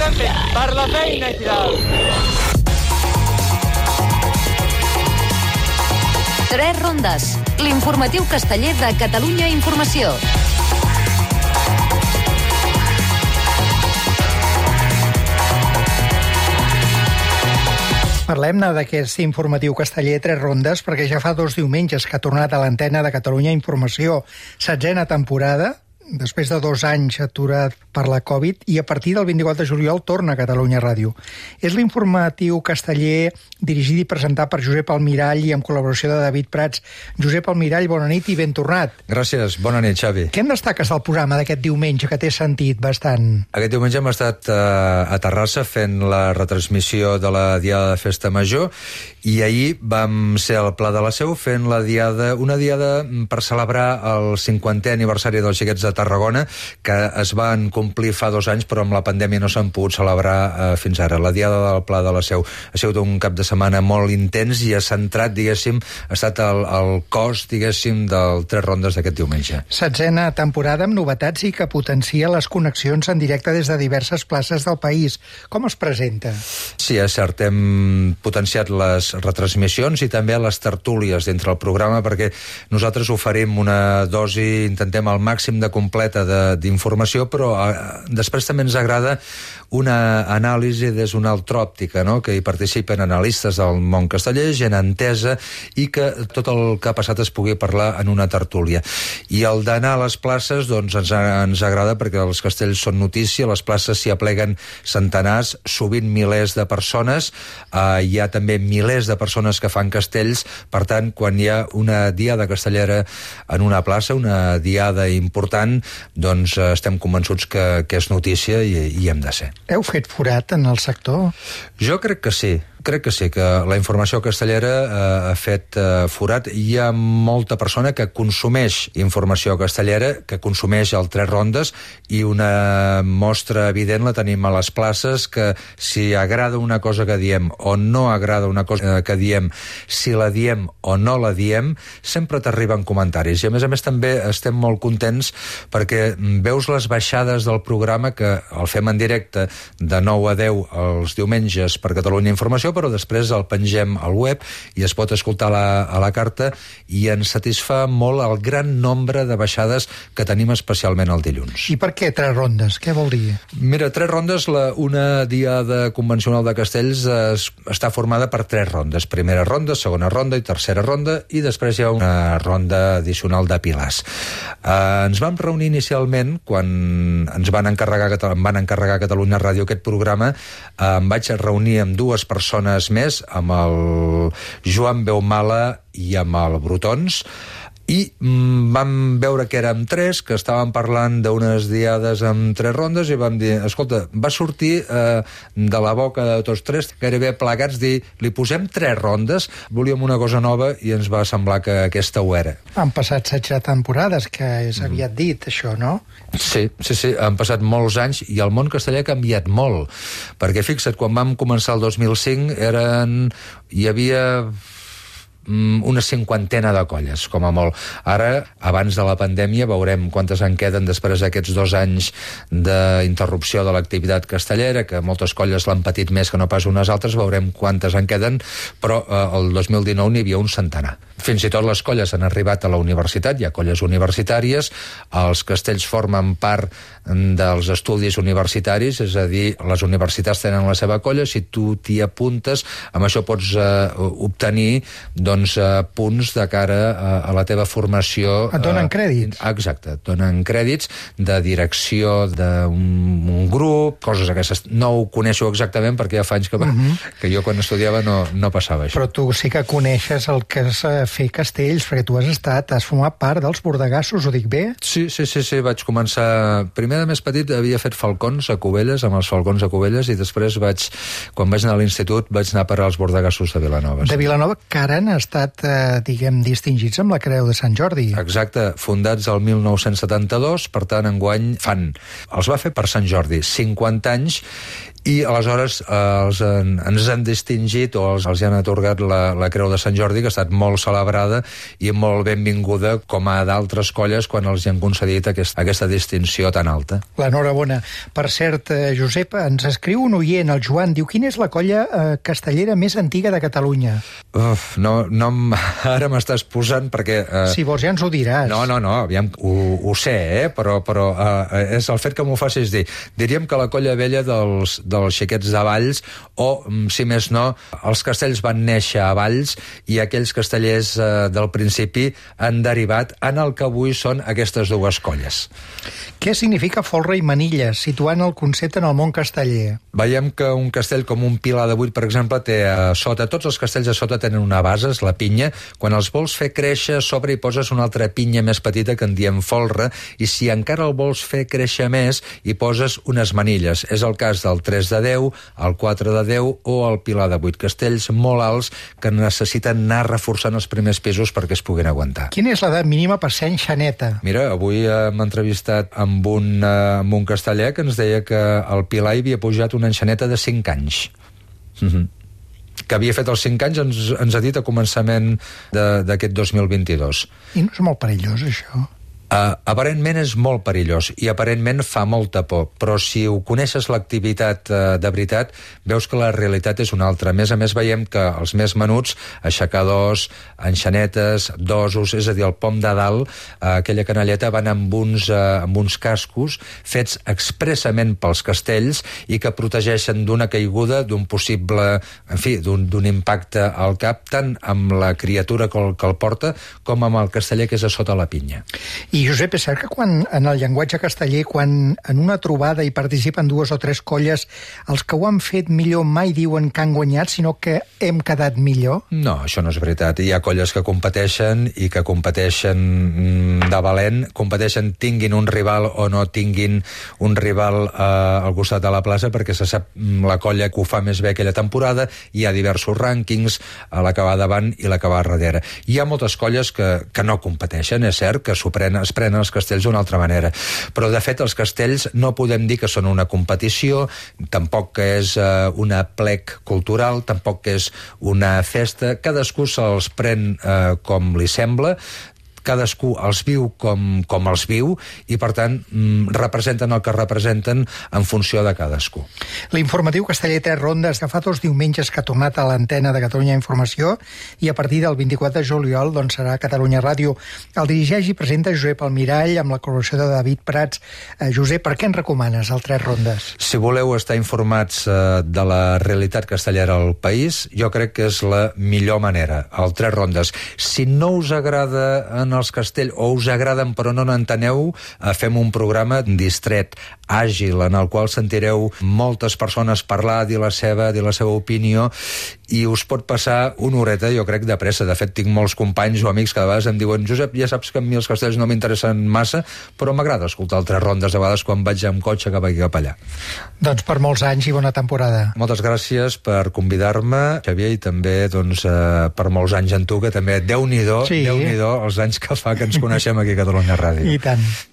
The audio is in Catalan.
estem fent per la feina i tal. Tres rondes, l'informatiu casteller de Catalunya Informació. Parlem-ne d'aquest informatiu casteller Tres rondes perquè ja fa 2 diumenges que ha tornat a l'antena de Catalunya Informació. 7a temporada, després de 2 anys aturat per la Covid, i a partir del 24 de juliol torna a Catalunya Ràdio. És l'informatiu casteller dirigit i presentat per Josep Almirall i amb col·laboració de David Prats. Josep Almirall, bona nit i ben tornat. Gràcies, bona nit, Xavi. Què en destaques del programa d'aquest diumenge, que t'he sentit bastant? Aquest diumenge hem estat a Terrassa fent la retransmissió de la Diada de Festa Major i ahir vam ser al Pla de la Seu fent una diada per celebrar el 50è aniversari dels Xiquets de Tarragona, que es van complir fa 2 anys, però amb la pandèmia no s'han pogut celebrar fins ara. La Diada del Pla de la Seu ha sigut un cap de setmana molt intens i ha centrat, diguéssim, ha estat el cos, diguéssim, del Tres rondes d'aquest diumenge. 7a temporada amb novetats i que potencia les connexions en directe des de diverses places del país. Com es presenta? Sí, és cert, hem potenciat les retransmissions i també les tertúlies dintre el programa, perquè nosaltres oferim una dosi, intentem al màxim de completa d'informació, però després també ens agrada una anàlisi des d'una altra òptica, no? Que hi participen analistes del món casteller, gent entesa, i que tot el que ha passat es pugui parlar en una tertúlia. I el d'anar a les places, doncs ens agrada perquè els castells són notícia, les places s'hi apleguen centenars, sovint milers de persones, hi ha també milers de persones que fan castells, per tant, quan hi ha una diada castellera en una plaça, una diada important, doncs estem convençuts que és notícia i hem de ser. Heu fet forat en el sector? Jo crec que sí. Crec que sí, que la informació castellera ha fet forat. Hi ha molta persona que consumeix informació castellera, que consumeix el Tres rondes, i una mostra evident la tenim a les places, que si agrada una cosa que diem o no agrada una cosa que diem, si la diem o no la diem, sempre t'arriben comentaris. I a més també estem molt contents perquè veus les baixades del programa, que el fem en directe de 9 a 10 els diumenges per Catalunya Informació, però després el pengem al web i es pot escoltar a la carta, i ens satisfà molt el gran nombre de baixades que tenim especialment el dilluns. I per què Tres rondes? Què vol dir? Mira, Tres rondes, una diada convencional de castells està formada per 3 rondes. Primera ronda, segona ronda i tercera ronda, i després hi ha una ronda addicional de pilars. Ens vam reunir inicialment quan ens van encarregar a Catalunya Ràdio aquest programa. Em vaig reunir amb 2 persones més, amb el Joan Beumala i amb el Brutons, i vam veure que érem 3, que estàvem parlant d'unes diades amb 3 rondes, i vam dir, escolta, va sortir de la boca de tots 3, gairebé plegats, dir, li posem 3 rondes, volíem una cosa nova i ens va semblar que aquesta ho era. Han passat 16 temporades, que és aviat dit, això, no? Sí, han passat molts anys i el món castellà ha canviat molt, perquè fixa't, quan vam començar el 2005 hi havia una 50ena de colles, com a molt. Ara, abans de la pandèmia, veurem quantes en queden després d'aquests 2 anys d'interrupció de l'activitat castellera, que moltes colles l'han patit més que no pas unes altres, veurem quantes en queden, però el 2019 n'hi havia un centenar. Fins i tot les colles han arribat a la universitat, hi ha colles universitàries, els castells formen part dels estudis universitaris, és a dir, les universitats tenen la seva colla, si tu t'hi apuntes, amb això pots obtenir punts de cara a la teva formació. Et donen crèdits? Exacte, et donen crèdits de direcció d'un grup, coses aquestes. No ho coneixo exactament perquè ja fa anys que jo quan estudiava no passava això. Però tu sí que coneixes el que és fer castells, perquè tu has format part dels bordegassos, ho dic bé? Sí, vaig començar... Primer de més petit havia fet falcons a Cubelles, amb els falcons a Cubelles, i després quan vaig anar a l'institut vaig anar a parar als bordegassos de Vilanova. De Vilanova, que ara han estat, distingits amb la Creu de Sant Jordi. Exacte, fundats el 1972, per tant, enguany els va fer per Sant Jordi, 50 anys, I aleshores ens han distingit o els han atorgat la Creu de Sant Jordi, que ha estat molt celebrada i molt benvinguda, com a d'altres colles quan els hi han concedit aquesta distinció tan alta. L'enhorabona. Per cert, Josep, ens escriu un oient, el Joan, diu: quina és la colla castellera més antiga de Catalunya? Ara m'estàs posant perquè... Si vols ja ens ho diràs. No, aviam, ho sé, però és el fet que m'ho facis dir. Diríem que la colla vella dels xiquets de Valls, o, si més no, els castells van néixer a Valls i aquells castellers del principi han derivat en el que avui són aquestes dues colles. Què significa folre i manilla, situant el concepte en el món casteller? Veiem que un castell com un Pilar de Buit, per exemple, té a sota, tots els castells a sota tenen una base, és la pinya. Quan els vols fer créixer, a sobre hi poses una altra pinya més petita que en diem folre, i si encara el vols fer créixer més, hi poses unes manilles. És el cas del 3 de 10, el 4 de 10 o el Pilar de 8, castells molt alts que necessiten anar reforçant els primers pisos perquè es puguin aguantar. Quina és l'edat mínima per ser enxaneta? Mira, avui hem entrevistat amb un casteller que ens deia que el Pilar hi havia pujat una enxaneta de 5 anys. Que havia fet els 5 anys, ens ha dit a començament d'aquest 2022. I no és molt perillós, això? Aparentment és molt perillós i aparentment fa molta por, però si ho coneixes l'activitat de veritat, veus que la realitat és una altra. A més, veiem que els més menuts, aixecadors, enxanetes, dosos, és a dir, el pom de dalt, aquella canalleta, van amb uns cascos fets expressament pels castells i que protegeixen d'una caiguda, d'un possible, en fi, d'un impacte al cap, tant amb la criatura que el porta com amb el casteller que és a sota la pinya. I, Josep, és cert que en el llenguatge casteller, quan en una trobada hi participen 2 o 3 colles, els que ho han fet millor mai diuen que han guanyat, sinó que hem quedat millor? No, això no és veritat. Hi ha colles que competeixen i que competeixen de valent, competeixen tinguin un rival o no tinguin un rival al costat de la plaça, perquè se sap la colla que ho fa més bé aquella temporada, hi ha diversos rànquings, la que va davant i la que va darrere. Hi ha moltes colles que no competeixen, és cert, que es prenen els castells d'una altra manera. Però, de fet, els castells no podem dir que són una competició, tampoc que és una plec cultural, tampoc que és una festa. Cadascú se'ls pren com li sembla, cadascú els viu com els viu i, per tant, representen el que representen en funció de cadascú. L'informatiu casteller 3 rondes, que fa 2 diumenges que ha tornat a l'antena de Catalunya Informació i a partir del 24 de juliol serà a Catalunya Ràdio. El dirigeix i presenta Josep Almirall amb la col·laboració de David Prats. Josep, per què ens recomanes el 3 rondes? Si voleu estar informats de la realitat castellera al país, jo crec que és la millor manera, el 3 rondes. Si no us agrada en els castells, o us agraden però no n'enteneu, fem un programa distret, àgil, en el qual sentireu moltes persones parlar, dir la seva opinió, i us pot passar una horeta, jo crec, de pressa. De fet, tinc molts companys o amics que de vegades em diuen: Josep, ja saps que a mi els castells no m'interessen massa, però m'agrada escoltar el 3 rondes de vegades quan vaig amb cotxe cap aquí cap allà. Doncs per molts anys i bona temporada. Moltes gràcies per convidar-me, Xavier, i també per molts anys en tu, que també, Déu-n'hi-do, els anys que fa que ens coneixem aquí a Catalunya Ràdio. I tant.